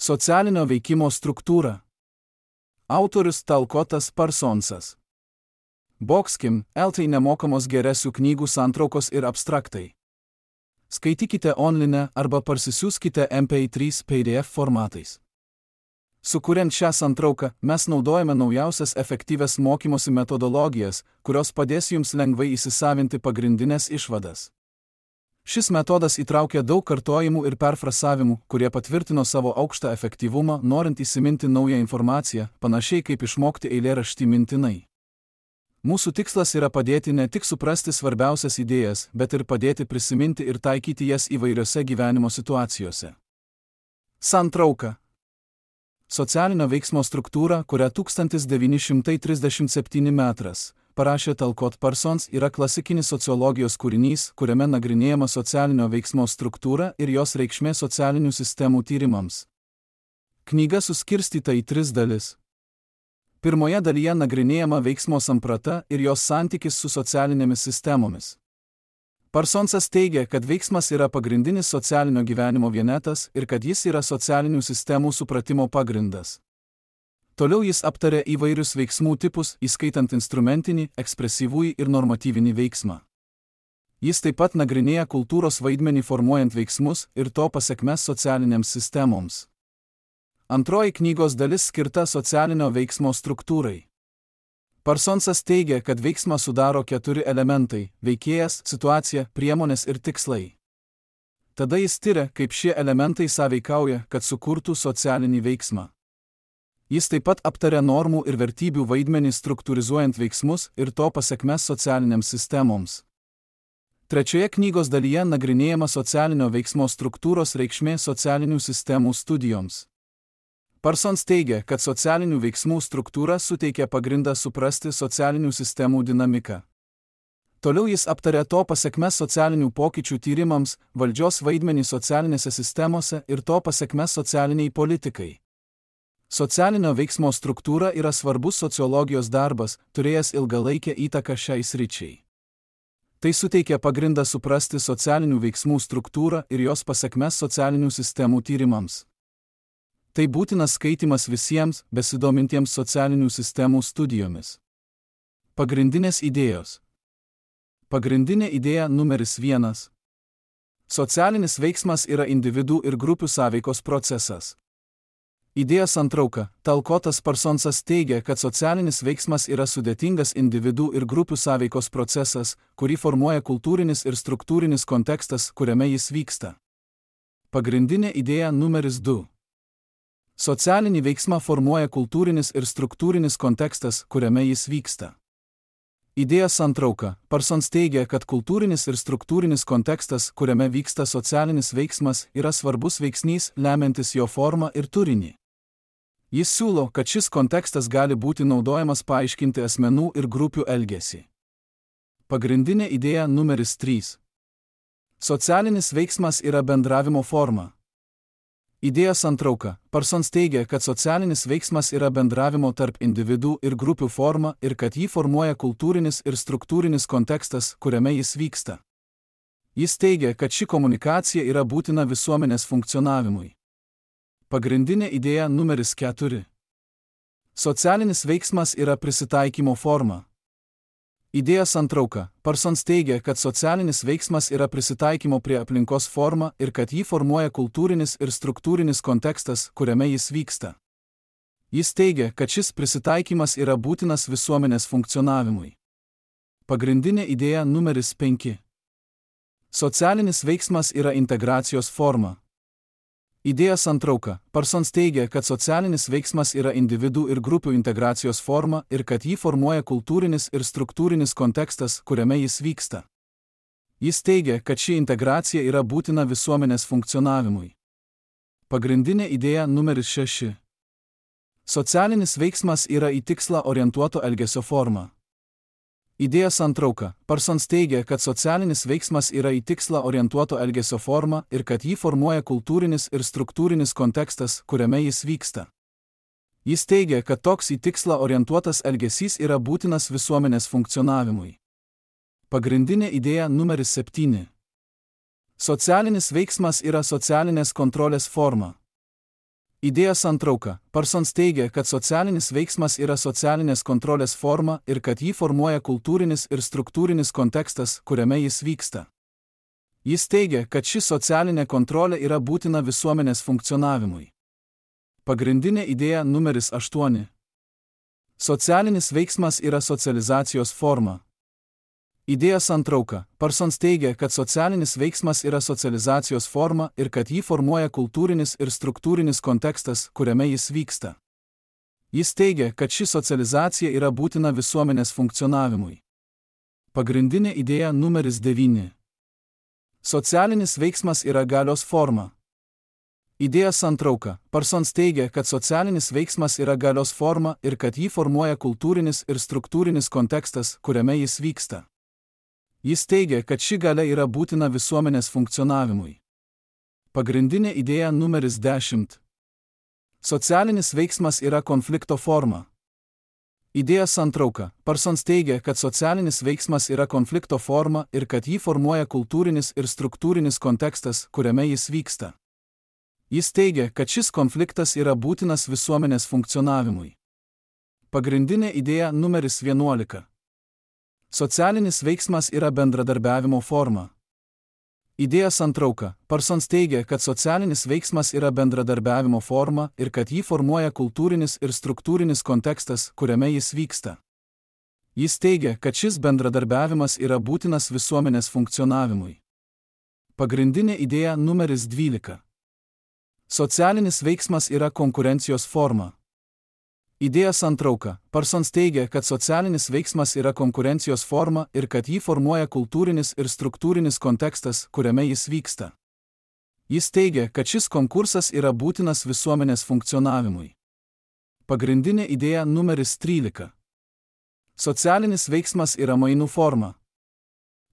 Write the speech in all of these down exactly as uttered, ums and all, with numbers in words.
Socialinio veikimo struktūra. Autorius Talkotas Parsonsas. Boxkim, eltai nemokamos geresių knygų santraukos ir abstraktai. Skaitykite online arba parsisiųskite M P trys P D F formatais. Sukuriant šią santrauką, mes naudojame naujausias efektyvias mokymosi metodologijas, kurios padės jums lengvai įsisavinti pagrindinės išvadas. Šis metodas įtraukia daug kartojimų ir perfrasavimų, kurie patvirtino savo aukštą efektyvumą, norint įsiminti naują informaciją, panašiai kaip išmokti eilėraštį mintinai. Mūsų tikslas yra padėti ne tik suprasti svarbiausias idėjas, bet ir padėti prisiminti ir taikyti jas įvairiose gyvenimo situacijose. Santrauka. Socialinio veiksmo struktūra, kurią tūkstantis devyni šimtai trisdešimt septyni metras parašė Talcott Parsons, yra klasikinis sociologijos kūrinys, kuriame nagrinėjama socialinio veiksmo struktūra ir jos reikšmė socialinių sistemų tyrimams. Knyga suskirstyta į tris dalis. Pirmoje dalyje nagrinėjama veiksmo samprata ir jos santykis su socialinėmis sistemomis. Parsonsas teigia, kad veiksmas yra pagrindinis socialinio gyvenimo vienetas ir kad jis yra socialinių sistemų supratimo pagrindas. Toliau jis aptarė įvairius veiksmų tipus, įskaitant instrumentinį, ekspresyvųjį ir normatyvinį veiksmą. Jis taip pat nagrinėja kultūros vaidmenį formuojant veiksmus ir to pasekmes socialinėms sistemoms. Antroji knygos dalis skirta socialinio veiksmo struktūrai. Parsonsas teigia, kad veiksmą sudaro keturi elementai – veikėjas, situacija, priemonės ir tikslai. Tada jis tiria, kaip šie elementai sąveikauja, kad sukurtų socialinį veiksmą. Jis taip pat aptarė normų ir vertybių vaidmenį struktūrizuojant veiksmus ir to pasekmes socialinėms sistemoms. Trečioje knygos dalyje nagrinėjama socialinio veiksmo struktūros reikšmė socialinių sistemų studijoms. Parsons teigia, kad socialinių veiksmų struktūra suteikia pagrindą suprasti socialinių sistemų dinamiką. Toliau jis aptarė to pasekmes socialinių pokyčių tyrimams, valdžios vaidmenį socialinėse sistemose ir to pasekmes socialiniai politikai. Socialinio veiksmo struktūra yra svarbus sociologijos darbas, turėjęs ilgalaikę įtaką šiai sričiai. Tai suteikia pagrindą suprasti socialinių veiksmų struktūrą ir jos pasekmes socialinių sistemų tyrimams. Tai būtinas skaitimas visiems, besidomintiems socialinių sistemų studijomis. Pagrindinės idėjos. Pagrindinė idėja numeris vienas. Socialinis veiksmas yra individų ir grupių sąveikos procesas. Idėja santrauka. Talcottas Parsonsas teigia, kad socialinis veiksmas yra sudėtingas individų ir grupių sąveikos procesas, kurį formuoja kultūrinis ir struktūrinis kontekstas, kuriame jis vyksta. Pagrindinė idėja numeris du. Socialinį veiksmą formuoja kultūrinis ir struktūrinis kontekstas, kuriame jis vyksta. Idėja santrauka. Parsons teigia, kad kultūrinis ir struktūrinis kontekstas, kuriame vyksta socialinis veiksmas, yra svarbus veiksnys, lemiantis jo formą ir turinį. Jis siūlo, kad šis kontekstas gali būti naudojamas paaiškinti asmenų ir grupių elgesį. Pagrindinė idėja numeris trys. Socialinis veiksmas yra bendravimo forma. Idėja santrauka. Parsons teigia, kad socialinis veiksmas yra bendravimo tarp individų ir grupių forma ir kad jį formuoja kultūrinis ir struktūrinis kontekstas, kuriame jis vyksta. Jis teigia, kad ši komunikacija yra būtina visuomenės funkcionavimui. Pagrindinė idėja numeris keturi. Socialinis veiksmas yra prisitaikymo forma. Idėja santrauka. Parsons teigia, kad socialinis veiksmas yra prisitaikymo prie aplinkos forma ir kad jį formuoja kultūrinis ir struktūrinis kontekstas, kuriame jis vyksta. Jis teigia, kad šis prisitaikymas yra būtinas visuomenės funkcionavimui. Pagrindinė idėja numeris penki. Socialinis veiksmas yra integracijos forma. Idėja santrauka. Parsons teigia, kad socialinis veiksmas yra individų ir grupių integracijos forma ir kad jį formuoja kultūrinis ir struktūrinis kontekstas, kuriame jis vyksta. Jis teigia, kad ši integracija yra būtina visuomenės funkcionavimui. Pagrindinė idėja numeris šeši. Socialinis veiksmas yra į tikslą orientuoto elgesio forma. Idėja santrauka. Parsons teigia, kad socialinis veiksmas yra į tikslą orientuoto elgesio forma ir kad jį formuoja kultūrinis ir struktūrinis kontekstas, kuriame jis vyksta. Jis teigia, kad toks į tikslą orientuotas elgesys yra būtinas visuomenės funkcionavimui. Pagrindinė idėja numeris septyni. Socialinis veiksmas yra socialinės kontrolės forma. Idėja santrauka. Parsons teigia, kad socialinis veiksmas yra socialinės kontrolės forma ir kad jį formuoja kultūrinis ir struktūrinis kontekstas, kuriame jis vyksta. Jis teigia, kad ši socialinė kontrolė yra būtina visuomenės funkcionavimui. Pagrindinė idėja numeris aštuoni. Socialinis veiksmas yra socializacijos forma. Idėja santrauka. Parsons teigia, kad socialinis veiksmas yra socializacijos forma ir kad jį formuoja kultūrinis ir struktūrinis kontekstas, kuriame jis vyksta. Jis teigia, kad ši socializacija yra būtina visuomenės funkcionavimui. Pagrindinė idėja numeris devyni. Socialinis veiksmas yra galios forma. Idėja santrauka. Parsons teigia, kad socialinis veiksmas yra galios forma ir kad jį formuoja kultūrinis ir struktūrinis kontekstas, kuriame jis vyksta. Jis teigia, kad ši galia yra būtina visuomenės funkcionavimui. Pagrindinė idėja numeris dešimt. Socialinis veiksmas yra konflikto forma. Idėja santrauka. Parsons teigia, kad socialinis veiksmas yra konflikto forma ir kad jį formuoja kultūrinis ir struktūrinis kontekstas, kuriame jis vyksta. Jis teigia, kad šis konfliktas yra būtinas visuomenės funkcionavimui. Pagrindinė idėja numeris vienuolika. Socialinis veiksmas yra bendradarbiavimo forma. Idėja santrauka. Parsons teigia, kad socialinis veiksmas yra bendradarbiavimo forma ir kad jį formuoja kultūrinis ir struktūrinis kontekstas, kuriame jis vyksta. Jis teigia, kad šis bendradarbiavimas yra būtinas visuomenės funkcionavimui. Pagrindinė idėja numeris dvylika. Socialinis veiksmas yra konkurencijos forma. Idėja santrauka. Parsons teigia, kad socialinis veiksmas yra konkurencijos forma ir kad jį formuoja kultūrinis ir struktūrinis kontekstas, kuriame jis vyksta. Jis teigia, kad šis konkursas yra būtinas visuomenės funkcionavimui. Pagrindinė idėja numeris trylika. Socialinis veiksmas yra mainų forma.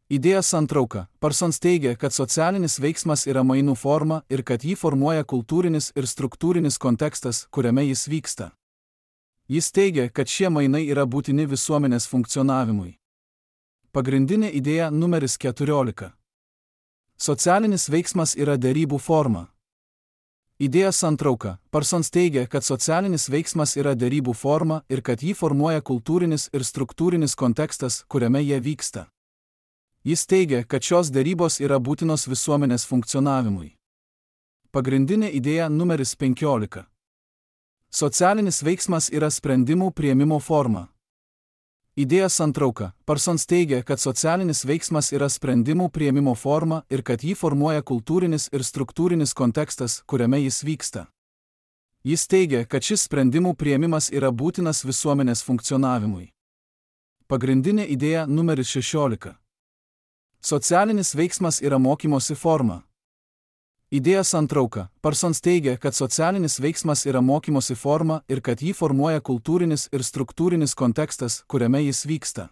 Idėja santrauka. Parsons teigia, kad socialinis veiksmas yra mainų forma ir kad jį formuoja kultūrinis ir struktūrinis kontekstas, kuriame jis vyksta. Jis teigia, kad šie mainai yra būtini visuomenės funkcionavimui. Pagrindinė idėja numeris keturiolika. Socialinis veiksmas yra derybų forma. Idėja santrauka. Parsons teigia, kad socialinis veiksmas yra derybų forma ir kad jį formuoja kultūrinis ir struktūrinis kontekstas, kuriame jie vyksta. Jis teigia, kad šios derybos yra būtinos visuomenės funkcionavimui. Pagrindinė idėja numeris penkiolika. Socialinis veiksmas yra sprendimų priėmimo forma. Idėja santrauka. Parsons teigia, kad socialinis veiksmas yra sprendimų priėmimo forma ir kad jį formuoja kultūrinis ir struktūrinis kontekstas, kuriame jis vyksta. Jis teigia, kad šis sprendimų priėmimas yra būtinas visuomenės funkcionavimui. Pagrindinė idėja numeris šešiolika. Socialinis veiksmas yra mokymosi forma. Idėja santrauka. Parsons teigia, kad socialinis veiksmas yra mokymosi forma ir kad jį formuoja kultūrinis ir struktūrinis kontekstas, kuriame jis vyksta.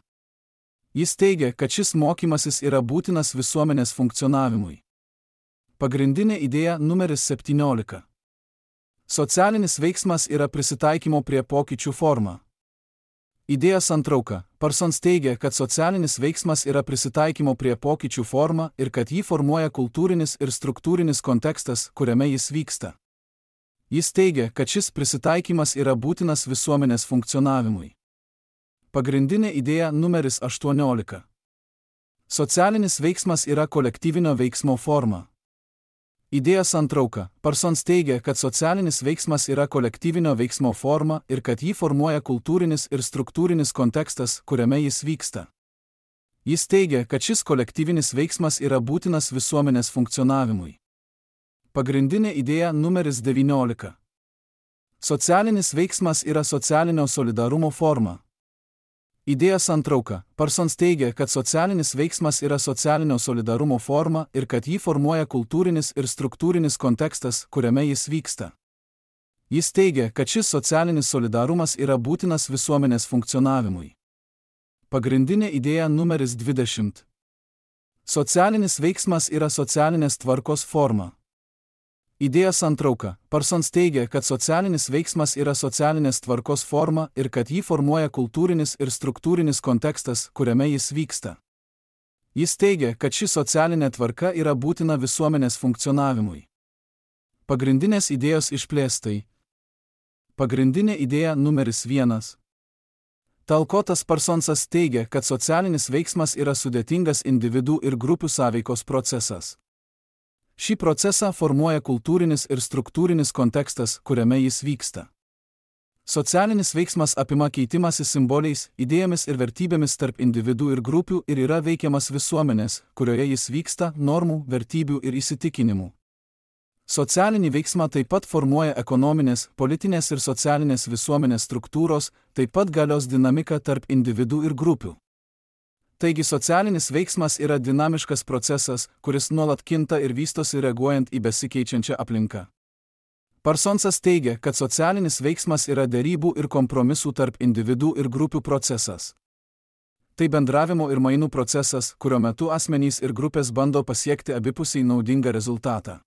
Jis teigia, kad šis mokymasis yra būtinas visuomenės funkcionavimui. Pagrindinė idėja numeris septyniolika. Socialinis veiksmas yra prisitaikymo prie pokyčių forma. Idėja santrauka. Parsons teigia, kad socialinis veiksmas yra prisitaikymo prie pokyčių forma ir kad jį formuoja kultūrinis ir struktūrinis kontekstas, kuriame jis vyksta. Jis teigia, kad šis prisitaikymas yra būtinas visuomenės funkcionavimui. Pagrindinė idėja numeris aštuoniolika. Socialinis veiksmas yra kolektyvinio veiksmo forma. Idėja santrauka. Parsons teigia, kad socialinis veiksmas yra kolektyvinio veiksmo forma ir kad jį formuoja kultūrinis ir struktūrinis kontekstas, kuriame jis vyksta. Jis teigia, kad šis kolektyvinis veiksmas yra būtinas visuomenės funkcionavimui. Pagrindinė idėja numeris devyniolika. Socialinis veiksmas yra socialinio solidarumo forma. Idėja santrauka. Parsons teigia, kad socialinis veiksmas yra socialinio solidarumo forma ir kad jį formuoja kultūrinis ir struktūrinis kontekstas, kuriame jis vyksta. Jis teigia, kad šis socialinis solidarumas yra būtinas visuomenės funkcionavimui. Pagrindinė idėja numeris dvidešimt. Socialinis veiksmas yra socialinės tvarkos forma. Idėja santrauka. Parsons teigia, kad socialinis veiksmas yra socialinės tvarkos forma ir kad jį formuoja kultūrinis ir struktūrinis kontekstas, kuriame jis vyksta. Jis teigia, kad ši socialinė tvarka yra būtina visuomenės funkcionavimui. Pagrindinės idėjos išplėstai. Pagrindinė idėja numeris vienas. Talkotas Parsonsas teigia, kad socialinis veiksmas yra sudėtingas individų ir grupių sąveikos procesas. Šį procesą formuoja kultūrinis ir struktūrinis kontekstas, kuriame jis vyksta. Socialinis veiksmas apima keitimąsi simboliais, idėjomis ir vertybėmis tarp individų ir grupių ir yra veikiamas visuomenės, kurioje jis vyksta, normų, vertybių ir įsitikinimų. Socialinį veiksmą taip pat formuoja ekonominės, politinės ir socialinės visuomenės struktūros, taip pat galios dinamika tarp individų ir grupių. Taigi socialinis veiksmas yra dinamiškas procesas, kuris nuolat kinta ir vystosi reaguojant į besikeičiančią aplinką. Parsonsas teigia, kad socialinis veiksmas yra derybų ir kompromisų tarp individų ir grupių procesas. Tai bendravimo ir mainų procesas, kurio metu asmenys ir grupės bando pasiekti abipusiai naudingą rezultatą.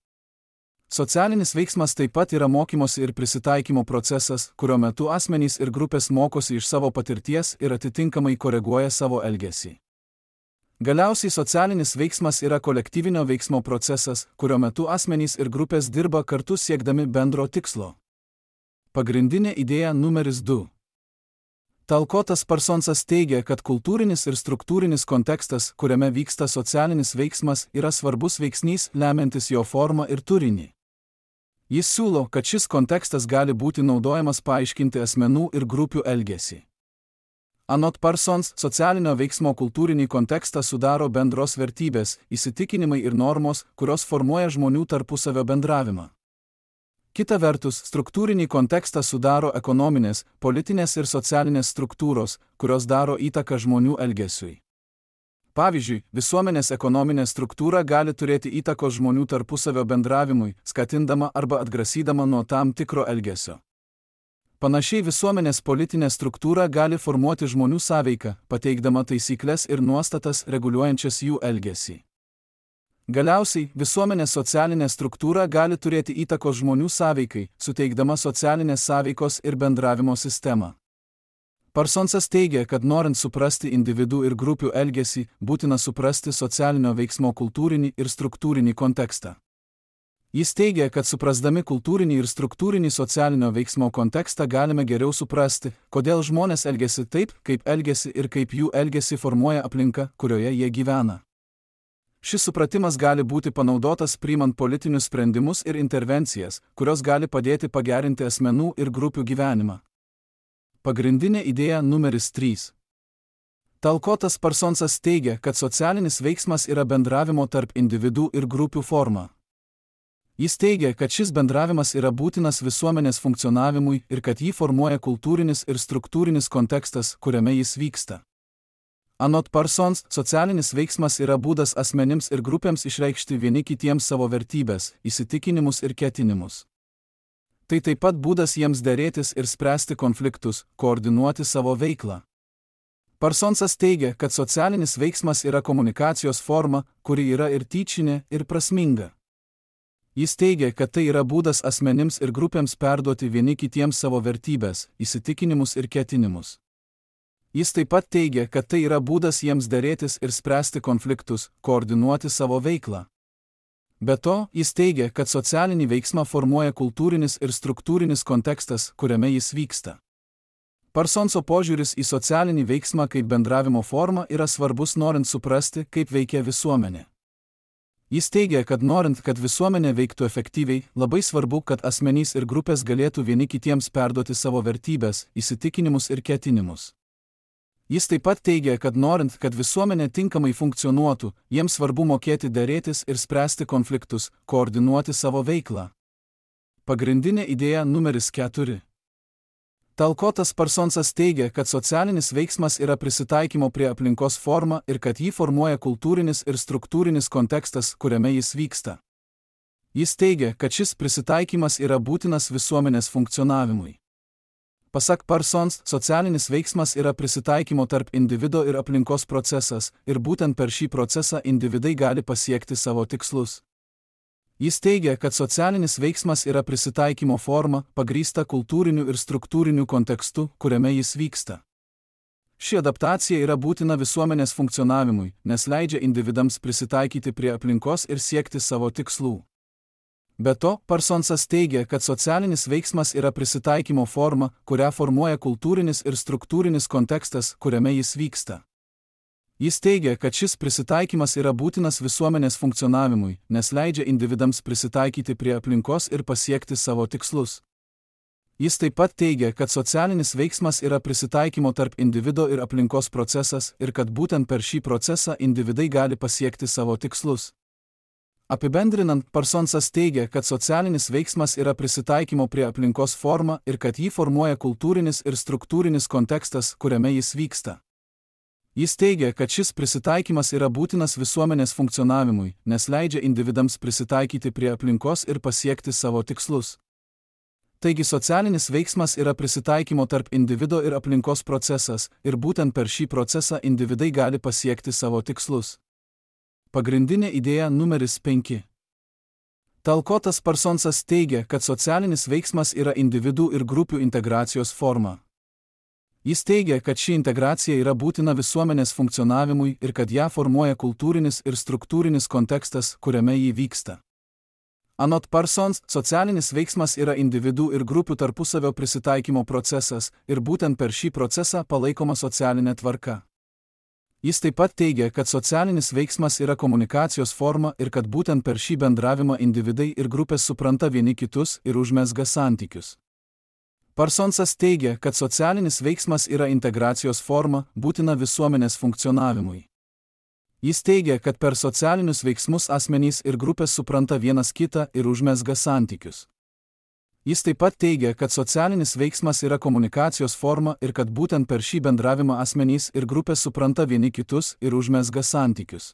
Socialinis veiksmas taip pat yra mokymosi ir prisitaikymo procesas, kurio metu asmenys ir grupės mokosi iš savo patirties ir atitinkamai koreguoja savo elgesį. Galiausiai socialinis veiksmas yra kolektyvinio veiksmo procesas, kurio metu asmenys ir grupės dirba kartu siekdami bendro tikslo. Pagrindinė idėja numeris du. Talkotas Parsonsas teigia, kad kultūrinis ir struktūrinis kontekstas, kuriame vyksta socialinis veiksmas, yra svarbus veiksnys, lemiantis jo formą ir turinį. Jis siūlo, kad šis kontekstas gali būti naudojamas paaiškinti asmenų ir grupių elgesį. Anot Parsons, socialinio veiksmo kultūrinį kontekstą sudaro bendros vertybės, įsitikinimai ir normos, kurios formuoja žmonių tarpusavio bendravimą. Kita vertus, struktūrinį kontekstą sudaro ekonominės, politinės ir socialinės struktūros, kurios daro įtaką žmonių elgesiui. Pavyzdžiui, visuomenės ekonominė struktūra gali turėti įtakos žmonių tarpusavio bendravimui, skatindama arba atgrasydama nuo tam tikro elgesio. Panašiai visuomenės politinė struktūra gali formuoti žmonių sąveiką, pateikdama taisyklės ir nuostatas reguliuojančias jų elgesį. Galiausiai, visuomenės socialinė struktūra gali turėti įtakos žmonių sąveikai, suteikdama socialinės sąveikos ir bendravimo sistemą. Parsonsas teigia, kad norint suprasti individų ir grupių elgesį, būtina suprasti socialinio veiksmo kultūrinį ir struktūrinį kontekstą. Jis teigia, kad suprasdami kultūrinį ir struktūrinį socialinio veiksmo kontekstą galime geriau suprasti, kodėl žmonės elgiasi taip, kaip elgiasi ir kaip jų elgesį formuoja aplinka, kurioje jie gyvena. Šis supratimas gali būti panaudotas priimant politinius sprendimus ir intervencijas, kurios gali padėti pagerinti asmenų ir grupių gyvenimą. Pagrindinė idėja numeris trys. Talkotas Parsonsas teigia, kad socialinis veiksmas yra bendravimo tarp individų ir grupių forma. Jis teigia, kad šis bendravimas yra būtinas visuomenės funkcionavimui ir kad jį formuoja kultūrinis ir struktūrinis kontekstas, kuriame jis vyksta. Anot Parsons, socialinis veiksmas yra būdas asmenims ir grupėms išreikšti vieni kitiems savo vertybės, įsitikinimus ir ketinimus. Tai taip pat būdas jiems derėtis ir spręsti konfliktus, koordinuoti savo veiklą. Parsonsas teigia, kad socialinis veiksmas yra komunikacijos forma, kuri yra ir tyčinė, ir prasminga. Jis teigia, kad tai yra būdas asmenims ir grupėms perduoti vieni kitiems savo vertybės, įsitikinimus ir ketinimus. Jis taip pat teigia, kad tai yra būdas jiems derėtis ir spręsti konfliktus, koordinuoti savo veiklą. Be to, jis teigia, kad socialinį veiksmą formuoja kultūrinis ir struktūrinis kontekstas, kuriame jis vyksta. Parsonso požiūris į socialinį veiksmą kaip bendravimo formą yra svarbus norint suprasti, kaip veikia visuomenė. Jis teigia, kad norint, kad visuomenė veiktų efektyviai, labai svarbu, kad asmenys ir grupės galėtų vieni kitiems perduoti savo vertybės, įsitikinimus ir ketinimus. Jis taip pat teigia, kad norint, kad visuomenė tinkamai funkcionuotų, jiems svarbu mokėti derėtis ir spręsti konfliktus, koordinuoti savo veiklą. Pagrindinė idėja numeris keturi. Talkotas Parsonsas teigia, kad socialinis veiksmas yra prisitaikymo prie aplinkos forma ir kad jį formuoja kultūrinis ir struktūrinis kontekstas, kuriame jis vyksta. Jis teigia, kad šis prisitaikymas yra būtinas visuomenės funkcionavimui. Pasak Parsons, socialinis veiksmas yra prisitaikymo tarp individo ir aplinkos procesas, ir būtent per šį procesą individai gali pasiekti savo tikslus. Jis teigia, kad socialinis veiksmas yra prisitaikymo forma, pagrįsta kultūriniu ir struktūriniu kontekstu, kuriame jis vyksta. Ši adaptacija yra būtina visuomenės funkcionavimui, nes leidžia individams prisitaikyti prie aplinkos ir siekti savo tikslų. Be to, Parsonsas teigia, kad socialinis veiksmas yra prisitaikymo forma, kurią formuoja kultūrinis ir struktūrinis kontekstas, kuriame jis vyksta. Jis teigia, kad šis prisitaikymas yra būtinas visuomenės funkcionavimui, nes leidžia individams prisitaikyti prie aplinkos ir pasiekti savo tikslus. Jis taip pat teigia, kad socialinis veiksmas yra prisitaikymo tarp individo ir aplinkos procesas ir kad būtent per šį procesą individai gali pasiekti savo tikslus. Apibendrinant, Parsonsas teigia, kad socialinis veiksmas yra prisitaikymo prie aplinkos forma ir kad jį formuoja kultūrinis ir struktūrinis kontekstas, kuriame jis vyksta. Jis teigia, kad šis prisitaikymas yra būtinas visuomenės funkcionavimui, nes leidžia individams prisitaikyti prie aplinkos ir pasiekti savo tikslus. Taigi socialinis veiksmas yra prisitaikymo tarp individo ir aplinkos procesas, ir būtent per šį procesą individai gali pasiekti savo tikslus. Pagrindinė idėja numeris penki. Talkotas Parsonsas teigia, kad socialinis veiksmas yra individų ir grupių integracijos forma. Jis teigia, kad ši integracija yra būtina visuomenės funkcionavimui ir kad ją formuoja kultūrinis ir struktūrinis kontekstas, kuriame ji vyksta. Anot Parsons, socialinis veiksmas yra individų ir grupių tarpusavio prisitaikymo procesas ir būtent per šį procesą palaikoma socialinė tvarka. Jis taip pat teigia, kad socialinis veiksmas yra komunikacijos forma ir kad būtent per šį bendravimą individai ir grupės supranta vieni kitus ir užmezga santykius. Parsonsas teigia, kad socialinis veiksmas yra integracijos forma, būtina visuomenės funkcionavimui. Jis teigia, kad per socialinius veiksmus asmenys ir grupės supranta vienas kitą ir užmezga santykius. Jis taip pat teigia, kad socialinis veiksmas yra komunikacijos forma ir kad būtent per šį bendravimą asmenys ir grupės supranta vieni kitus ir užmezga santykius.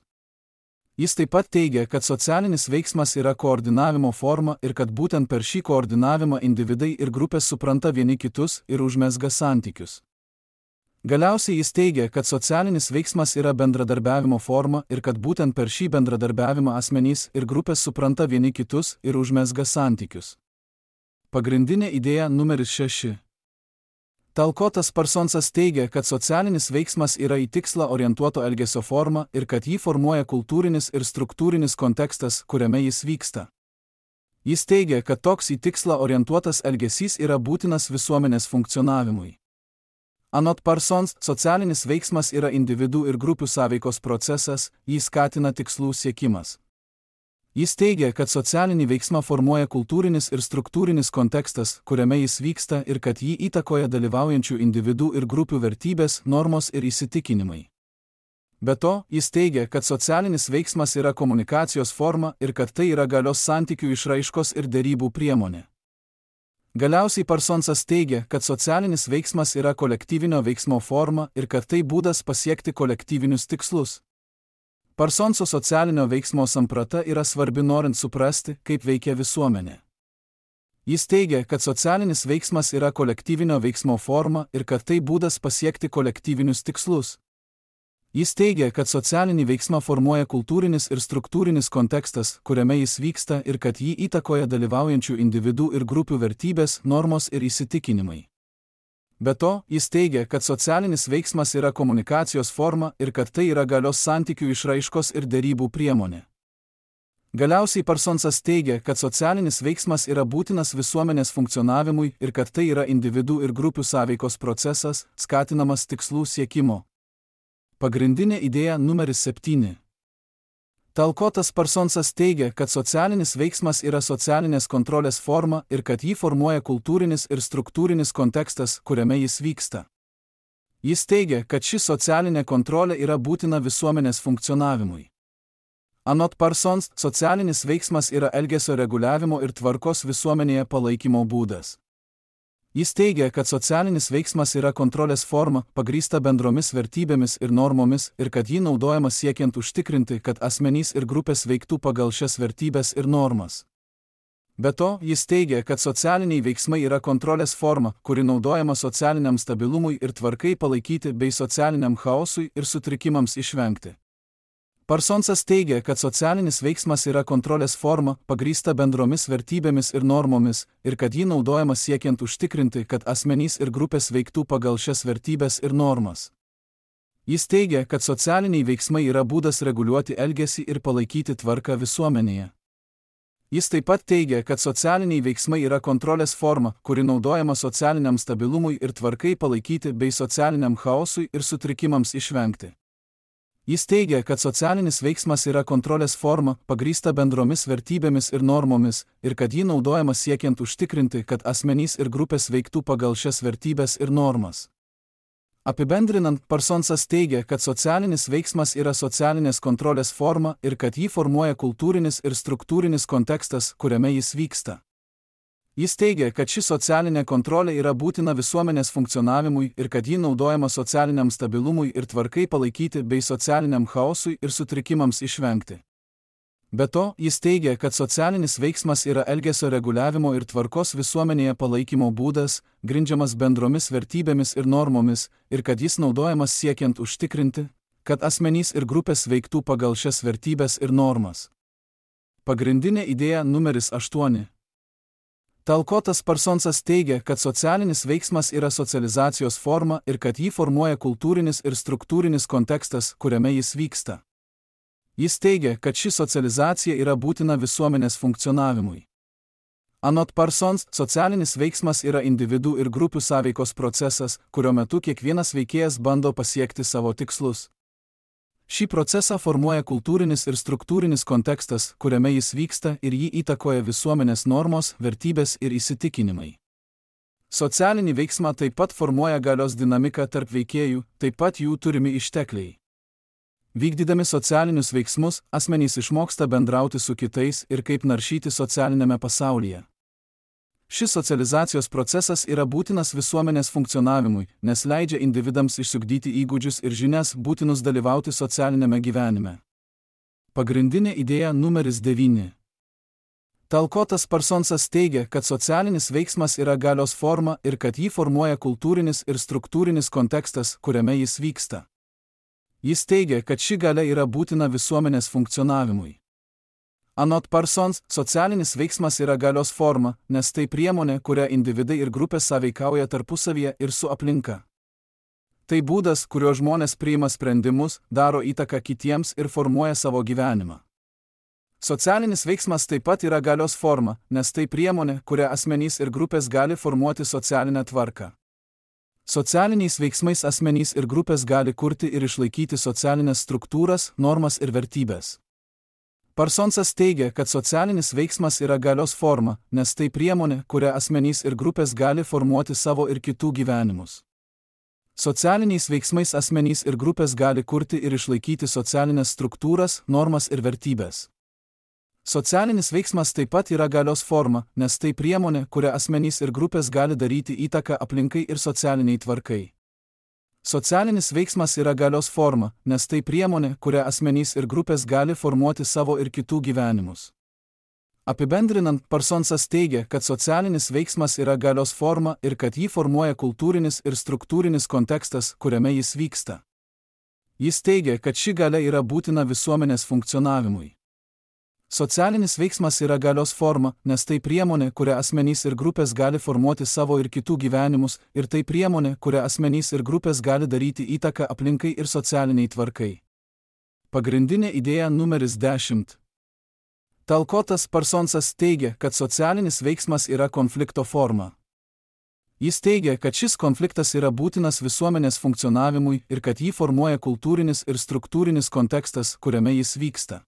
Jis taip pat teigia, kad socialinis veiksmas yra koordinavimo forma ir kad būtent per šį koordinavimą individai ir grupės supranta vieni kitus ir užmezga santykius. Galiausiai jis teigia, kad socialinis veiksmas yra bendradarbiavimo forma ir kad būtent per šį bendradarbiavimą asmenys ir grupės supranta vieni kitus ir užmezga santykius. Pagrindinė idėja numeris šeši. Talkotas Parsonsas teigia, kad socialinis veiksmas yra į tikslą orientuoto elgesio forma ir kad jį formuoja kultūrinis ir struktūrinis kontekstas, kuriame jis vyksta. Jis teigia, kad toks į tikslą orientuotas elgesys yra būtinas visuomenės funkcionavimui. Anot Parsons, socialinis veiksmas yra individų ir grupių sąveikos procesas, jį skatina tikslų siekimas. Jis teigia, kad socialinį veiksmą formuoja kultūrinis ir struktūrinis kontekstas, kuriame jis vyksta ir kad jį įtakoja dalyvaujančių individų ir grupių vertybės, normos ir įsitikinimai. Be to, jis teigia, kad socialinis veiksmas yra komunikacijos forma ir kad tai yra galios santykių išraiškos ir derybų priemonė. Galiausiai Parsonsas teigia, kad socialinis veiksmas yra kolektyvinio veiksmo forma ir kad tai būdas pasiekti kolektyvinius tikslus. Parsonso socialinio veiksmo samprata yra svarbi norint suprasti, kaip veikia visuomenė. Jis teigia, kad socialinis veiksmas yra kolektyvinio veiksmo forma ir kad tai būdas pasiekti kolektyvinius tikslus. Jis teigia, kad socialinį veiksmą formuoja kultūrinis ir struktūrinis kontekstas, kuriame jis vyksta ir kad jį įtakoja dalyvaujančių individų ir grupių vertybės, normos ir įsitikinimai. Be to, jis teigia, kad socialinis veiksmas yra komunikacijos forma ir kad tai yra galios santykių išraiškos ir derybų priemonė. Galiausiai Parsonsas teigia, kad socialinis veiksmas yra būtinas visuomenės funkcionavimui ir kad tai yra individų ir grupių sąveikos procesas, skatinamas tikslų siekimo. Pagrindinė idėja numeris septyni. Talkotas Parsonsas teigia, kad socialinis veiksmas yra socialinės kontrolės forma ir kad jį formuoja kultūrinis ir struktūrinis kontekstas, kuriame jis vyksta. Jis teigia, kad ši socialinė kontrolė yra būtina visuomenės funkcionavimui. Anot Parsons, socialinis veiksmas yra elgesio reguliavimo ir tvarkos visuomenėje palaikymo būdas. Jis teigia, kad socialinis veiksmas yra kontrolės forma, pagrįsta bendromis vertybėmis ir normomis ir kad jį naudojama siekiant užtikrinti, kad asmenys ir grupės veiktų pagal šias vertybės ir normas. Be to, jis teigia, kad socialiniai veiksmai yra kontrolės forma, kuri naudojama socialiniam stabilumui ir tvarkai palaikyti bei socialiniam chaosui ir sutrikimams išvengti. Parsonsas teigia, kad socialinis veiksmas yra kontrolės forma, pagrįsta bendromis vertybėmis ir normomis, ir kad jį naudojama siekiant užtikrinti, kad asmenys ir grupės veiktų pagal šias vertybės ir normas. Jis teigia, kad socialiniai veiksmai yra būdas reguliuoti elgesį ir palaikyti tvarką visuomenėje. Jis taip pat teigia, kad socialiniai veiksmai yra kontrolės forma, kuri naudojama socialiniam stabilumui ir tvarkai palaikyti bei socialiniam chaosui ir sutrikimams išvengti. Jis teigia, kad socialinis veiksmas yra kontrolės forma, pagrįsta bendromis vertybėmis ir normomis, ir kad ji naudojama siekiant užtikrinti, kad asmenys ir grupės veiktų pagal šias vertybės ir normas. Apibendrinant, Parsonsas teigia, kad socialinis veiksmas yra socialinės kontrolės forma ir kad jį formuoja kultūrinis ir struktūrinis kontekstas, kuriame jis vyksta. Jis teigia, kad ši socialinė kontrolė yra būtina visuomenės funkcionavimui ir kad ji naudojama socialiniam stabilumui ir tvarkai palaikyti bei socialiniam chaosui ir sutrikimams išvengti. Be to, jis teigia, kad socialinis veiksmas yra elgesio reguliavimo ir tvarkos visuomenėje palaikymo būdas, grindžiamas bendromis vertybėmis ir normomis, ir kad jis naudojamas siekiant užtikrinti, kad asmenys ir grupės veiktų pagal šias vertybės ir normas. Pagrindinė idėja numeris aštuoni. Talkotas Parsonsas teigia, kad socialinis veiksmas yra socializacijos forma ir kad jį formuoja kultūrinis ir struktūrinis kontekstas, kuriame jis vyksta. Jis teigia, kad ši socializacija yra būtina visuomenės funkcionavimui. Anot Parsons, socialinis veiksmas yra individų ir grupių sąveikos procesas, kurio metu kiekvienas veikėjas bando pasiekti savo tikslus. Šį procesą formuoja kultūrinis ir struktūrinis kontekstas, kuriame jis vyksta ir jį įtakoja visuomenės normos, vertybės ir įsitikinimai. Socialinį veiksmą taip pat formuoja galios dinamika tarp veikėjų, taip pat jų turimi ištekliai. Vykdydami socialinius veiksmus, asmenys išmoksta bendrauti su kitais ir kaip naršyti socialinėme pasaulyje. Šis socializacijos procesas yra būtinas visuomenės funkcionavimui, nes leidžia individams išsiugdyti įgūdžius ir žinias būtinus dalyvauti socialinėme gyvenime. Pagrindinė idėja numeris devyni. Talkotas Parsonsas teigia, kad socialinis veiksmas yra galios forma ir kad jį formuoja kultūrinis ir struktūrinis kontekstas, kuriame jis vyksta. Jis teigia, kad ši galia yra būtina visuomenės funkcionavimui. Anot Parsons, socialinis veiksmas yra galios forma, nes tai priemonė, kuria individai ir grupės sąveikauja tarpusavyje ir su aplinka. Tai būdas, kuriuo žmonės priima sprendimus, daro įtaką kitiems ir formuoja savo gyvenimą. Socialinis veiksmas taip pat yra galios forma, nes tai priemonė, kuria asmenys ir grupės gali formuoti socialinę tvarką. Socialiniais veiksmais asmenys ir grupės gali kurti ir išlaikyti socialinės struktūras, normas ir vertybės. Parsonsas teigia, kad socialinis veiksmas yra galios forma, nes tai priemonė, kuria asmenys ir grupės gali formuoti savo ir kitų gyvenimus. Socialiniais veiksmais asmenys ir grupės gali kurti ir išlaikyti socialinės struktūras, normas ir vertybės. Socialinis veiksmas taip pat yra galios forma, nes tai priemonė, kuria asmenys ir grupės gali daryti įtaką aplinkai ir socialiniai tvarkai. Socialinis veiksmas yra galios forma, nes tai priemonė, kuria asmenys ir grupės gali formuoti savo ir kitų gyvenimus. Apibendrinant, Parsonsas teigia, kad socialinis veiksmas yra galios forma ir kad jį formuoja kultūrinis ir struktūrinis kontekstas, kuriame jis vyksta. Jis teigia, kad ši galia yra būtina visuomenės funkcionavimui. Socialinis veiksmas yra galios forma, nes tai priemonė, kuria asmenys ir grupės gali formuoti savo ir kitų gyvenimus, ir tai priemonė, kuria asmenys ir grupės gali daryti įtaką aplinkai ir socialiniai tvarkai. Pagrindinė idėja numeris dešimt. Talkotas Parsonsas teigia, kad socialinis veiksmas yra konflikto forma. Jis teigia, kad šis konfliktas yra būtinas visuomenės funkcionavimui ir kad jį formuoja kultūrinis ir struktūrinis kontekstas, kuriame jis vyksta.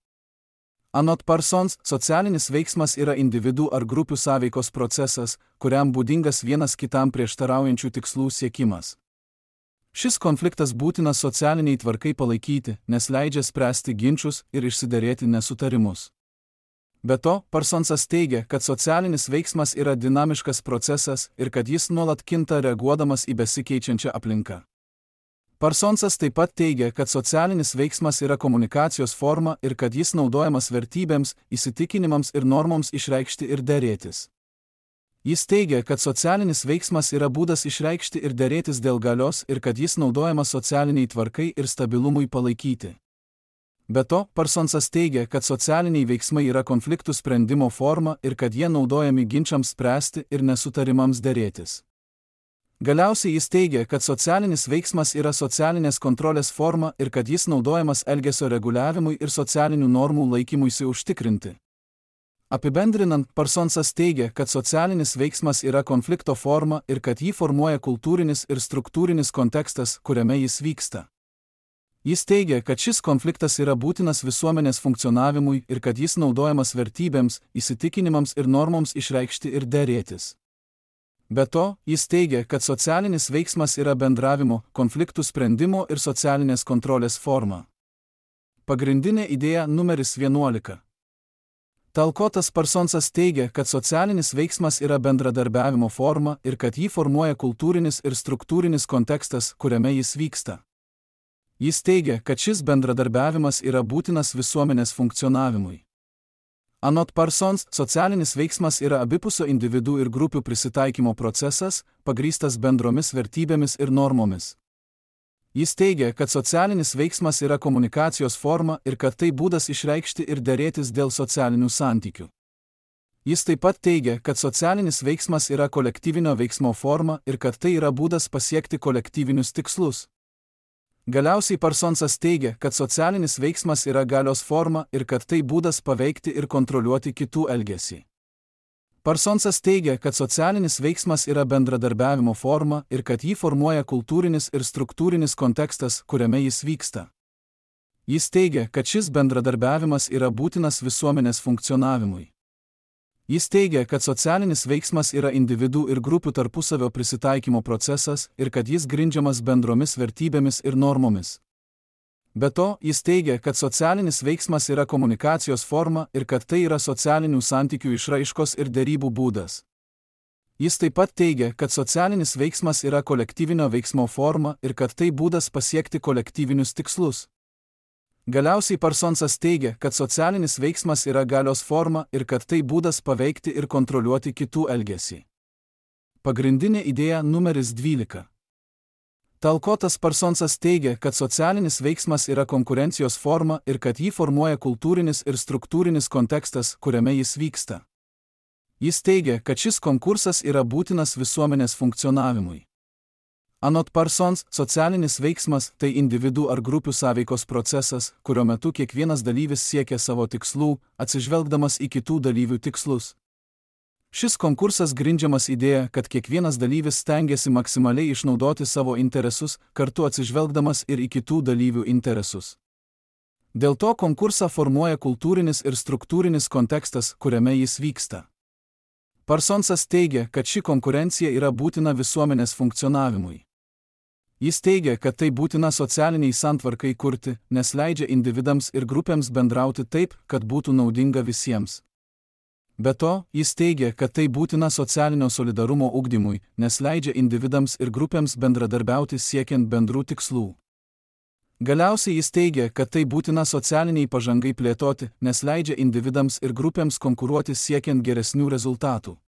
Anot Parsons, socialinis veiksmas yra individų ar grupių sąveikos procesas, kuriam būdingas vienas kitam prieštaraujančių tikslų siekimas. Šis konfliktas būtinas socialiniai tvarkai palaikyti, nes leidžia spręsti ginčius ir išsiderėti nesutarimus. Be to, Parsonsas teigia, kad socialinis veiksmas yra dinamiškas procesas ir kad jis nuolat kinta reaguodamas į besikeičiančią aplinką. Parsonsas taip pat teigia, kad socialinis veiksmas yra komunikacijos forma ir kad jis naudojamas vertybėms, įsitikinimams ir normoms išreikšti ir derėtis. Jis teigia, kad socialinis veiksmas yra būdas išreikšti ir derėtis dėl galios ir kad jis naudojamas socialiniai tvarkai ir stabilumui palaikyti. Be to, Parsonsas teigia, kad socialiniai veiksmai yra konfliktų sprendimo forma ir kad jie naudojami ginčiams spręsti ir nesutarimams derėtis. Galiausiai jis teigia, kad socialinis veiksmas yra socialinės kontrolės forma ir kad jis naudojamas elgesio reguliavimui ir socialinių normų laikymuisi užtikrinti. Apibendrinant, Parsonsas teigia, kad socialinis veiksmas yra konflikto forma ir kad jį formuoja kultūrinis ir struktūrinis kontekstas, kuriame jis vyksta. Jis teigia, kad šis konfliktas yra būtinas visuomenės funkcionavimui ir kad jis naudojamas vertybėms, įsitikinimams ir normoms išreikšti ir derėtis. Be to, jis teigia, kad socialinis veiksmas yra bendravimo, konfliktų sprendimo ir socialinės kontrolės forma. Pagrindinė idėja numeris vienuolika. Talkotas Parsonsas teigia, kad socialinis veiksmas yra bendradarbiavimo forma ir kad jį formuoja kultūrinis ir struktūrinis kontekstas, kuriame jis vyksta. Jis teigia, kad šis bendradarbiavimas yra būtinas visuomenės funkcionavimui. Anot Parsons, socialinis veiksmas yra abipusio individų ir grupių prisitaikymo procesas, pagrįstas bendromis vertybėmis ir normomis. Jis teigia, kad socialinis veiksmas yra komunikacijos forma ir kad tai būdas išreikšti ir derėtis dėl socialinių santykių. Jis taip pat teigia, kad socialinis veiksmas yra kolektyvinio veiksmo forma ir kad tai yra būdas pasiekti kolektyvinius tikslus. Galiausiai Parsonsas teigia, kad socialinis veiksmas yra galios forma ir kad tai būdas paveikti ir kontroliuoti kitų elgesį. Parsonsas teigia, kad socialinis veiksmas yra bendradarbiavimo forma ir kad jį formuoja kultūrinis ir struktūrinis kontekstas, kuriame jis vyksta. Jis teigia, kad šis bendradarbiavimas yra būtinas visuomenės funkcionavimui. Jis teigia, kad socialinis veiksmas yra individų ir grupių tarpusavio prisitaikymo procesas ir kad jis grindžiamas bendromis vertybėmis ir normomis. Be to, jis teigia, kad socialinis veiksmas yra komunikacijos forma ir kad tai yra socialinių santykių išraiškos ir derybų būdas. Jis taip pat teigia, kad socialinis veiksmas yra kolektyvinio veiksmo forma ir kad tai būdas pasiekti kolektyvinius tikslus. Galiausiai Parsonsas teigia, kad socialinis veiksmas yra galios forma ir kad tai būdas paveikti ir kontroliuoti kitų elgesį. Pagrindinė idėja numeris dvylika. Talkotas Parsonsas teigia, kad socialinis veiksmas yra konkurencijos forma ir kad jį formuoja kultūrinis ir struktūrinis kontekstas, kuriame jis vyksta. Jis teigia, kad šis konkursas yra būtinas visuomenės funkcionavimui. Anot Parsons, socialinis veiksmas tai individų ar grupių sąveikos procesas, kurio metu kiekvienas dalyvis siekia savo tikslų, atsižvelgdamas į kitų dalyvių tikslus. Šis konkursas grindžiamas idėja, kad kiekvienas dalyvis stengiasi maksimaliai išnaudoti savo interesus, kartu atsižvelgdamas ir į kitų dalyvių interesus. Dėl to konkursą formuoja kultūrinis ir struktūrinis kontekstas, kuriame jis vyksta. Parsonsas teigia, kad ši konkurencija yra būtina visuomenės funkcionavimui. Jis teigia, kad tai būtina socialiniai santvarkai kurti, nes leidžia individams ir grupėms bendrauti taip, kad būtų naudinga visiems. Be to, jis teigia, kad tai būtina socialinio solidarumo ugdymui, nes leidžia individams ir grupėms bendradarbiauti siekiant bendrų tikslų. Galiausiai jis teigia, kad tai būtina socialiniai pažangai plėtoti, nes leidžia individams ir grupėms konkuruoti siekiant geresnių rezultatų.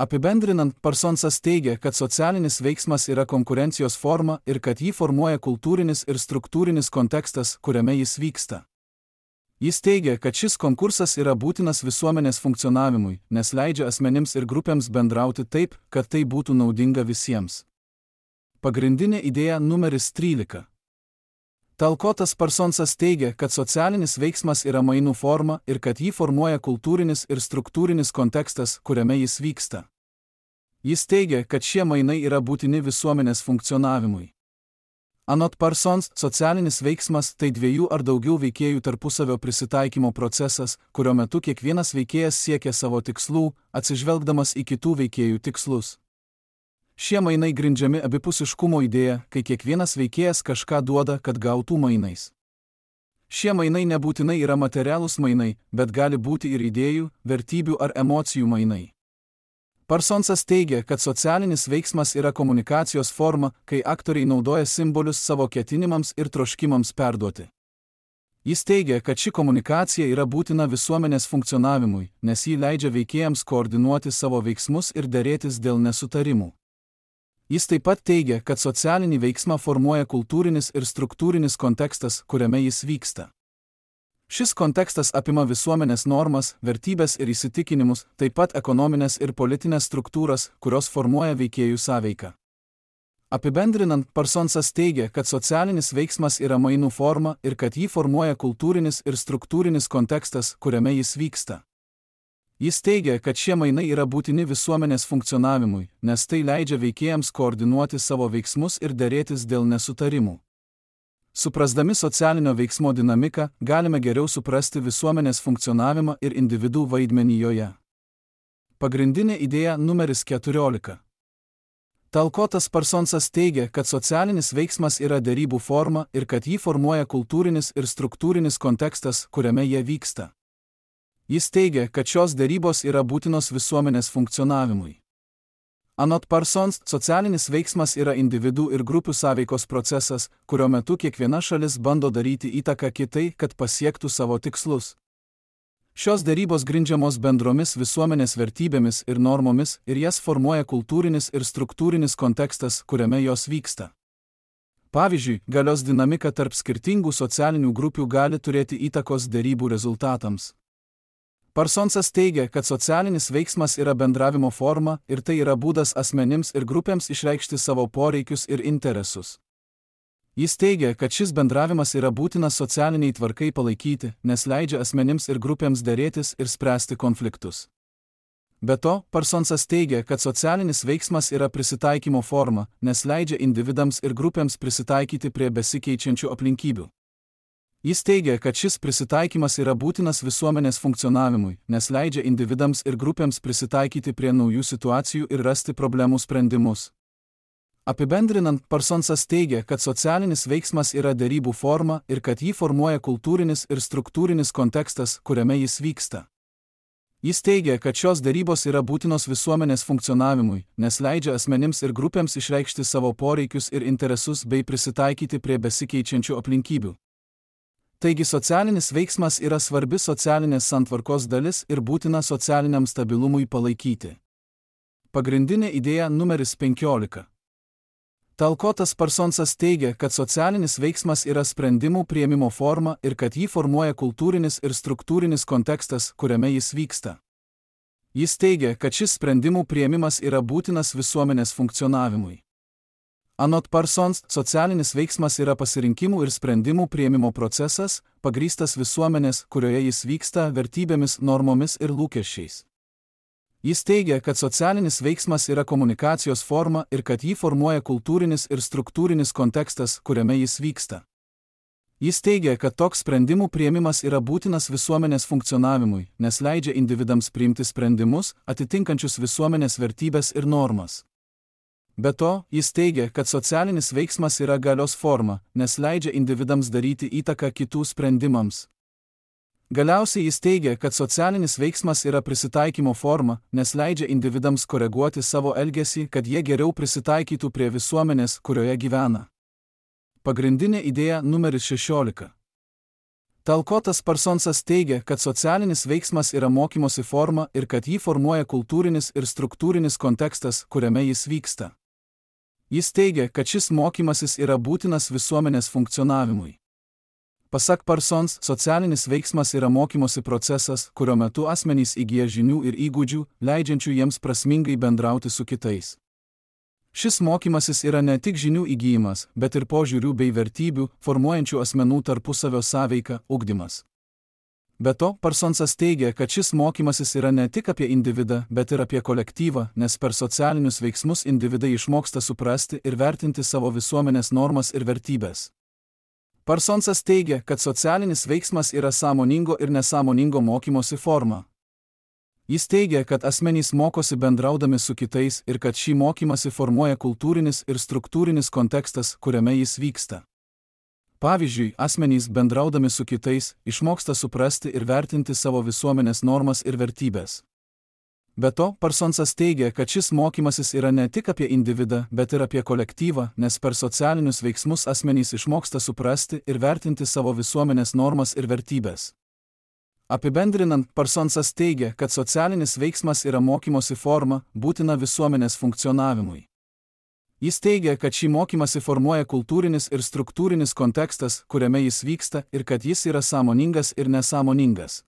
Apibendrinant, Parsonsas teigia, kad socialinis veiksmas yra konkurencijos forma ir kad jį formuoja kultūrinis ir struktūrinis kontekstas, kuriame jis vyksta. Jis teigia, kad šis konkursas yra būtinas visuomenės funkcionavimui, nes leidžia asmenims ir grupėms bendrauti taip, kad tai būtų naudinga visiems. Pagrindinė idėja numeris trylika. Talkotas Parsonsas teigia, kad socialinis veiksmas yra mainų forma ir kad jį formuoja kultūrinis ir struktūrinis kontekstas, kuriame jis vyksta. Jis teigia, kad šie mainai yra būtini visuomenės funkcionavimui. Anot Parsons, socialinis veiksmas tai dviejų ar daugiau veikėjų tarpusavio prisitaikymo procesas, kurio metu kiekvienas veikėjas siekia savo tikslų, atsižvelgdamas į kitų veikėjų tikslus. Šie mainai grindžiami abipusiškumo idėja, kai kiekvienas veikėjas kažką duoda, kad gautų mainais. Šie mainai nebūtinai yra materialūs mainai, bet gali būti ir idėjų, vertybių ar emocijų mainai. Parsonsas teigia, kad socialinis veiksmas yra komunikacijos forma, kai aktoriai naudoja simbolius savo ketinimams ir troškimams perduoti. Jis teigia, kad ši komunikacija yra būtina visuomenės funkcionavimui, nes ji leidžia veikėjams koordinuoti savo veiksmus ir derėtis dėl nesutarimų. Jis taip pat teigia, kad socialinį veiksmą formuoja kultūrinis ir struktūrinis kontekstas, kuriame jis vyksta. Šis kontekstas apima visuomenės normas, vertybės ir įsitikinimus, taip pat ekonominės ir politinės struktūras, kurios formuoja veikėjų sąveiką. Apibendrinant, Parsonsas teigia, kad socialinis veiksmas yra mainų forma ir kad jį formuoja kultūrinis ir struktūrinis kontekstas, kuriame jis vyksta. Jis teigia, kad šie mainai yra būtini visuomenės funkcionavimui, nes tai leidžia veikėjams koordinuoti savo veiksmus ir derėtis dėl nesutarimų. Suprasdami socialinio veiksmo dinamiką, galime geriau suprasti visuomenės funkcionavimą ir individų vaidmenį joje. Pagrindinė idėja numeris keturiolika. Talkotas Parsonsas teigia, kad socialinis veiksmas yra derybų forma ir kad jį formuoja kultūrinis ir struktūrinis kontekstas, kuriame jie vyksta. Jis teigia, kad šios derybos yra būtinos visuomenės funkcionavimui. Anot Parsons, socialinis veiksmas yra individų ir grupių sąveikos procesas, kurio metu kiekviena šalis bando daryti įtaką kitai, kad pasiektų savo tikslus. Šios derybos grindžiamos bendromis visuomenės vertybėmis ir normomis ir jas formuoja kultūrinis ir struktūrinis kontekstas, kuriame jos vyksta. Pavyzdžiui, galios dinamika tarp skirtingų socialinių grupių gali turėti įtakos derybų rezultatams. Parsonsas teigia, kad socialinis veiksmas yra bendravimo forma ir tai yra būdas asmenims ir grupėms išreikšti savo poreikius ir interesus. Jis teigia, kad šis bendravimas yra būtinas socialiniai tvarkai palaikyti, nes leidžia asmenims ir grupėms derėtis ir spręsti konfliktus. Be to, Parsonsas teigia, kad socialinis veiksmas yra prisitaikymo forma, nes leidžia individams ir grupėms prisitaikyti prie besikeičiančių aplinkybių. Jis teigia, kad šis prisitaikymas yra būtinas visuomenės funkcionavimui, nes leidžia individams ir grupėms prisitaikyti prie naujų situacijų ir rasti problemų sprendimus. Apibendrinant, Parsonsas teigia, kad socialinis veiksmas yra derybų forma ir kad jį formuoja kultūrinis ir struktūrinis kontekstas, kuriame jis vyksta. Jis teigia, kad šios derybos yra būtinos visuomenės funkcionavimui, nes leidžia asmenims ir grupėms išreikšti savo poreikius ir interesus bei prisitaikyti prie besikeičiančių aplinkybių. Taigi socialinis veiksmas yra svarbi socialinės santvarkos dalis ir būtina socialiniam stabilumui palaikyti. Pagrindinė idėja numeris penkiolika. Talkotas Parsonsas teigia, kad socialinis veiksmas yra sprendimų priėmimo forma ir kad jį formuoja kultūrinis ir struktūrinis kontekstas, kuriame jis vyksta. Jis teigia, kad šis sprendimų priėmimas yra būtinas visuomenės funkcionavimui. Anot Parsons, socialinis veiksmas yra pasirinkimų ir sprendimų priėmimo procesas, pagrįstas visuomenės, kurioje jis vyksta, vertybėmis, normomis ir lūkesčiais. Jis teigia, kad socialinis veiksmas yra komunikacijos forma ir kad jį formuoja kultūrinis ir struktūrinis kontekstas, kuriame jis vyksta. Jis teigia, kad toks sprendimų priėmimas yra būtinas visuomenės funkcionavimui, nes leidžia individams priimti sprendimus, atitinkančius visuomenės vertybės ir normas. Be to, jis teigia, kad socialinis veiksmas yra galios forma, nes leidžia individams daryti įtaką kitų sprendimams. Galiausiai jis teigia, kad socialinis veiksmas yra prisitaikymo forma, nes leidžia individams koreguoti savo elgesį, kad jie geriau prisitaikytų prie visuomenės, kurioje gyvena. Pagrindinė idėja numeris šešiolika. Talkotas Parsonsas teigia, kad socialinis veiksmas yra mokymosi forma ir kad jį formuoja kultūrinis ir struktūrinis kontekstas, kuriame jis vyksta. Jis teigia, kad šis mokymasis yra būtinas visuomenės funkcionavimui. Pasak Parsons, socialinis veiksmas yra mokymosi procesas, kurio metu asmenys įgyja žinių ir įgūdžių, leidžiančių jiems prasmingai bendrauti su kitais. Šis mokymasis yra ne tik žinių įgyjimas, bet ir požiūrių bei vertybių, formuojančių asmenų tarpusavio sąveiką, ugdymas. Be to, Parsonsas teigia, kad šis mokymasis yra ne tik apie individą, bet ir apie kolektyvą, nes per socialinius veiksmus individai išmoksta suprasti ir vertinti savo visuomenės normas ir vertybės. Parsonsas teigia, kad socialinis veiksmas yra sąmoningo ir nesąmoningo mokymosi forma. Jis teigia, kad asmenys mokosi bendraudami su kitais ir kad šį mokymasi formuoja kultūrinis ir struktūrinis kontekstas, kuriame jis vyksta. Pavyzdžiui, asmenys bendraudami su kitais išmoksta suprasti ir vertinti savo visuomenės normas ir vertybės. Be to, Parsonsas teigia, kad šis mokymasis yra ne tik apie individą, bet ir apie kolektyvą, nes per socialinius veiksmus asmenys išmoksta suprasti ir vertinti savo visuomenės normas ir vertybės. Apibendrinant, Parsonsas teigia, kad socialinis veiksmas yra mokymosi forma, būtina visuomenės funkcionavimui. Jis teigia, kad šį mokymasi formuoja kultūrinis ir struktūrinis kontekstas, kuriame jis vyksta, ir kad jis yra sąmoningas ir nesąmoningas.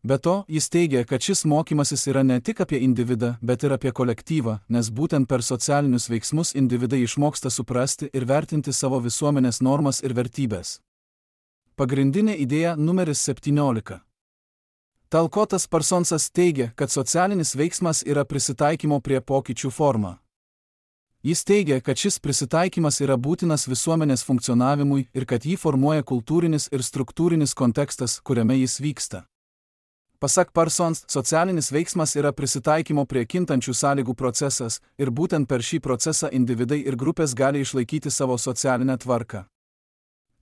Be to, jis teigia, kad šis mokymasis yra ne tik apie individą, bet ir apie kolektyvą, nes būtent per socialinius veiksmus individai išmoksta suprasti ir vertinti savo visuomenės normas ir vertybės. Pagrindinė idėja numeris septyniolika. Talkotas Parsonsas teigia, kad socialinis veiksmas yra prisitaikymo prie pokyčių forma. Jis teigia, kad šis prisitaikymas yra būtinas visuomenės funkcionavimui ir kad jį formuoja kultūrinis ir struktūrinis kontekstas, kuriame jis vyksta. Pasak Parsons, socialinis veiksmas yra prisitaikymo prie kintančių sąlygų procesas ir būtent per šį procesą individai ir grupės gali išlaikyti savo socialinę tvarką.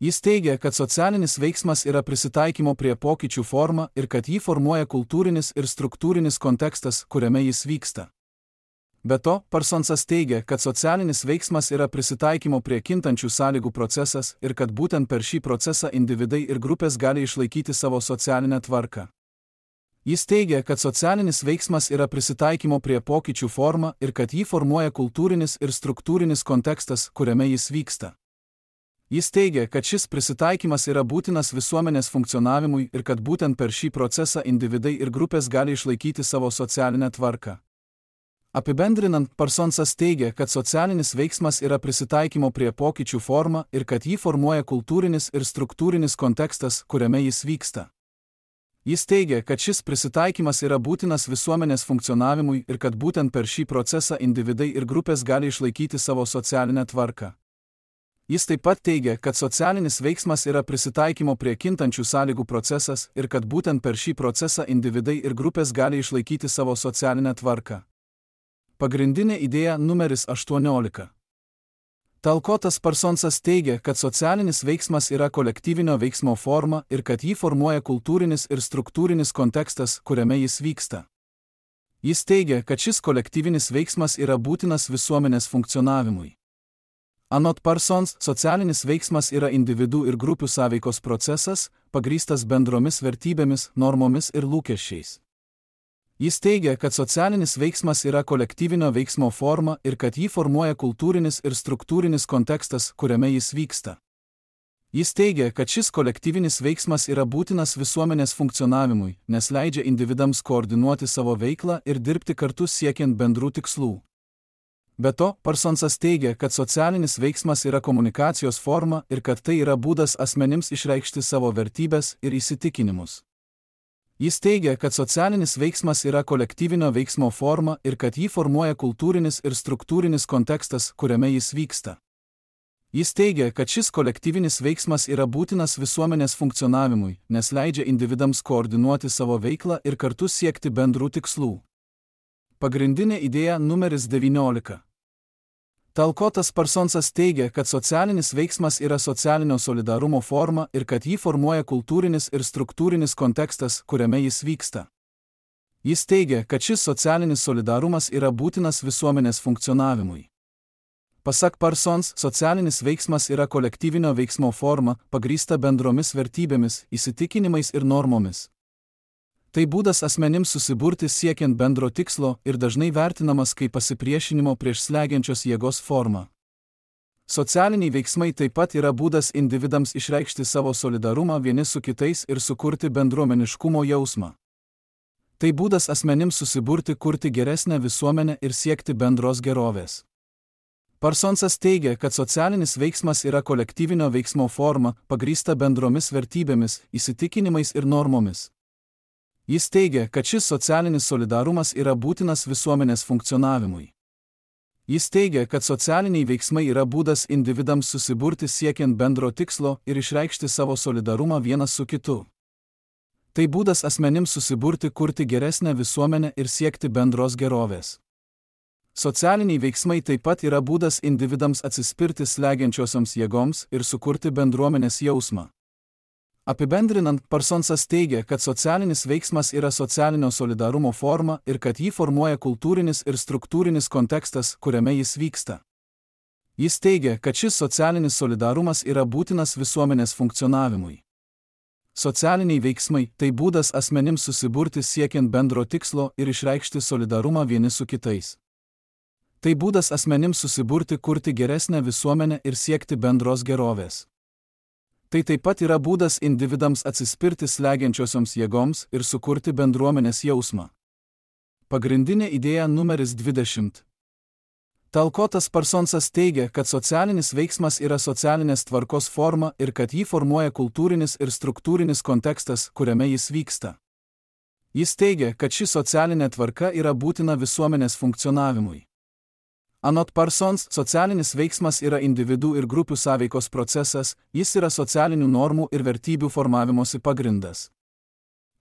Jis teigia, kad socialinis veiksmas yra prisitaikymo prie pokyčių forma ir kad jį formuoja kultūrinis ir struktūrinis kontekstas, kuriame jis vyksta. Be to, Parsonsas teigia, kad socialinis veiksmas yra prisitaikymo prie kintančių sąlygų procesas ir kad būtent per šį procesą individai ir grupės gali išlaikyti savo socialinę tvarką. Jis teigia, kad socialinis veiksmas yra prisitaikymo prie pokyčių forma ir kad jį formuoja kultūrinis ir struktūrinis kontekstas, kuriame jis vyksta. Jis teigia, kad šis prisitaikymas yra būtinas visuomenės funkcionavimui ir kad būtent per šį procesą individai ir grupės gali išlaikyti savo socialinę tvarką. Apibendrinant, Parsonsas teigia, kad socialinis veiksmas yra prisitaikymo prie pokyčių forma ir kad jį formuoja kultūrinis ir struktūrinis kontekstas, kuriame jis vyksta. Jis teigia, kad šis prisitaikymas yra būtinas visuomenės funkcionavimui ir kad būtent per šį procesą individai ir grupės gali išlaikyti savo socialinę tvarką. Jis taip pat teigia, kad socialinis veiksmas yra prisitaikymo prie kintančių sąlygų procesas ir kad būtent per šį procesą individai ir grupės gali išlaikyti savo socialinę tvarką. Pagrindinė idėja numeris aštuoniolika. Talkotas Parsonsas teigia, kad socialinis veiksmas yra kolektyvinio veiksmo forma ir kad jį formuoja kultūrinis ir struktūrinis kontekstas, kuriame jis vyksta. Jis teigia, kad šis kolektyvinis veiksmas yra būtinas visuomenės funkcionavimui. Anot Parsons, socialinis veiksmas yra individų ir grupių sąveikos procesas, pagrįstas bendromis vertybėmis, normomis ir lūkesčiais. Jis teigia, kad socialinis veiksmas yra kolektyvinio veiksmo forma ir kad jį formuoja kultūrinis ir struktūrinis kontekstas, kuriame jis vyksta. Jis teigia, kad šis kolektyvinis veiksmas yra būtinas visuomenės funkcionavimui, nes leidžia individams koordinuoti savo veiklą ir dirbti kartu siekiant bendrų tikslų. Be to, Parsonsas teigia, kad socialinis veiksmas yra komunikacijos forma ir kad tai yra būdas asmenims išreikšti savo vertybės ir įsitikinimus. Jis teigia, kad socialinis veiksmas yra kolektyvinio veiksmo forma ir kad jį formuoja kultūrinis ir struktūrinis kontekstas, kuriame jis vyksta. Jis teigia, kad šis kolektyvinis veiksmas yra būtinas visuomenės funkcionavimui, nes leidžia individams koordinuoti savo veiklą ir kartu siekti bendrų tikslų. Pagrindinė idėja numeris devyniolika. Talkotas Parsonsas teigia, kad socialinis veiksmas yra socialinio solidarumo forma ir kad jį formuoja kultūrinis ir struktūrinis kontekstas, kuriame jis vyksta. Jis teigia, kad šis socialinis solidarumas yra būtinas visuomenės funkcionavimui. Pasak Parsons, socialinis veiksmas yra kolektyvinio veiksmo forma, pagrįsta bendromis vertybėmis, įsitikinimais ir normomis. Tai būdas asmenims susiburti siekiant bendro tikslo ir dažnai vertinamas kaip pasipriešinimo prieš slegiančios jėgos forma. Socialiniai veiksmai taip pat yra būdas individams išreikšti savo solidarumą vieni su kitais ir sukurti bendruomeniškumo jausmą. Tai būdas asmenims susiburti kurti geresnę visuomenę ir siekti bendros gerovės. Parsonsas teigia, kad socialinis veiksmas yra kolektyvinio veiksmo forma, pagrįsta bendromis vertybėmis, įsitikinimais ir normomis. Jis teigia, kad šis socialinis solidarumas yra būtinas visuomenės funkcionavimui. Jis teigia, kad socialiniai veiksmai yra būdas individams susiburti siekiant bendro tikslo ir išreikšti savo solidarumą vienas su kitu. Tai būdas asmenims susiburti kurti geresnę visuomenę ir siekti bendros gerovės. Socialiniai veiksmai taip pat yra būdas individams atsispirti slegiančiosioms jėgoms ir sukurti bendruomenės jausmą. Apibendrinant, Parsonsas teigia, kad socialinis veiksmas yra socialinio solidarumo forma ir kad jį formuoja kultūrinis ir struktūrinis kontekstas, kuriame jis vyksta. Jis teigia, kad šis socialinis solidarumas yra būtinas visuomenės funkcionavimui. Socialiniai veiksmai – tai būdas asmenims susiburti siekiant bendro tikslo ir išreikšti solidarumą vieni su kitais. Tai būdas asmenims susiburti kurti geresnę visuomenę ir siekti bendros gerovės. Tai taip pat yra būdas individams atsispirti slegiančiosioms jėgoms ir sukurti bendruomenės jausmą. Pagrindinė idėja numeris dvidešimt. Talkotas Parsonsas teigia, kad socialinis veiksmas yra socialinės tvarkos forma ir kad jį formuoja kultūrinis ir struktūrinis kontekstas, kuriame jis vyksta. Jis teigia, kad ši socialinė tvarka yra būtina visuomenės funkcionavimui. Anot Parsons, socialinis veiksmas yra individų ir grupių sąveikos procesas, jis yra socialinių normų ir vertybių formavimosi pagrindas.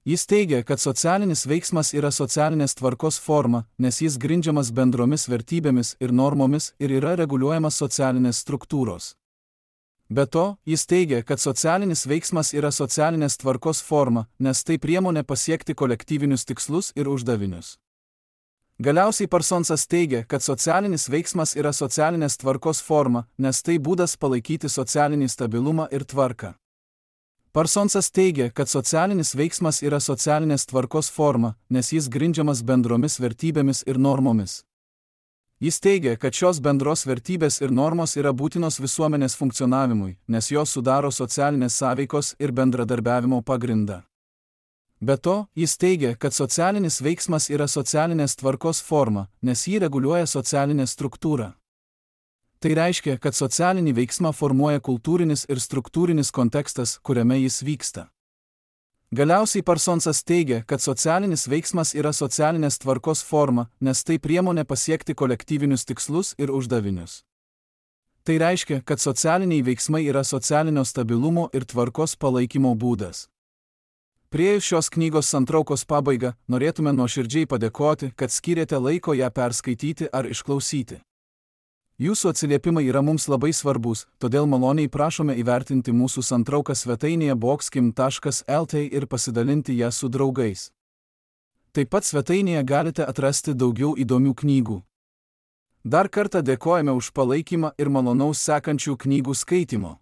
Jis teigia, kad socialinis veiksmas yra socialinės tvarkos forma, nes jis grindžiamas bendromis vertybėmis ir normomis ir yra reguliuojamas socialinės struktūros. Be to, jis teigia, kad socialinis veiksmas yra socialinės tvarkos forma, nes tai priemonė pasiekti kolektyvinius tikslus ir uždavinius. Galiausiai Parsonsas teigia, kad socialinis veiksmas yra socialinės tvarkos forma, nes tai būdas palaikyti socialinį stabilumą ir tvarką. Parsonsas teigia, kad socialinis veiksmas yra socialinės tvarkos forma, nes jis grindžiamas bendromis vertybėmis ir normomis. Jis teigia, kad šios bendros vertybės ir normos yra būtinos visuomenės funkcionavimui, nes jos sudaro socialinės sąveikos ir bendradarbiavimo pagrindą. Be to, jis teigia, kad socialinis veiksmas yra socialinės tvarkos forma, nes jį reguliuoja socialinė struktūra. Tai reiškia, kad socialinį veiksmą formuoja kultūrinis ir struktūrinis kontekstas, kuriame jis vyksta. Galiausiai Parsonsas teigia, kad socialinis veiksmas yra socialinės tvarkos forma, nes tai priemonė pasiekti kolektyvinius tikslus ir uždavinius. Tai reiškia, kad socialiniai veiksmai yra socialinio stabilumo ir tvarkos palaikymo būdas. Priėjus šios knygos santraukos pabaigą, norėtume nuoširdžiai padėkoti, kad skyrėte laiko ją perskaityti ar išklausyti. Jūsų atsiliepimai yra mums labai svarbus, todėl maloniai prašome įvertinti mūsų santrauką svetainėje boxkim taškas el t ir pasidalinti ją su draugais. Taip pat svetainėje galite atrasti daugiau įdomių knygų. Dar kartą dėkojame už palaikymą ir malonaus sekančių knygų skaitimo.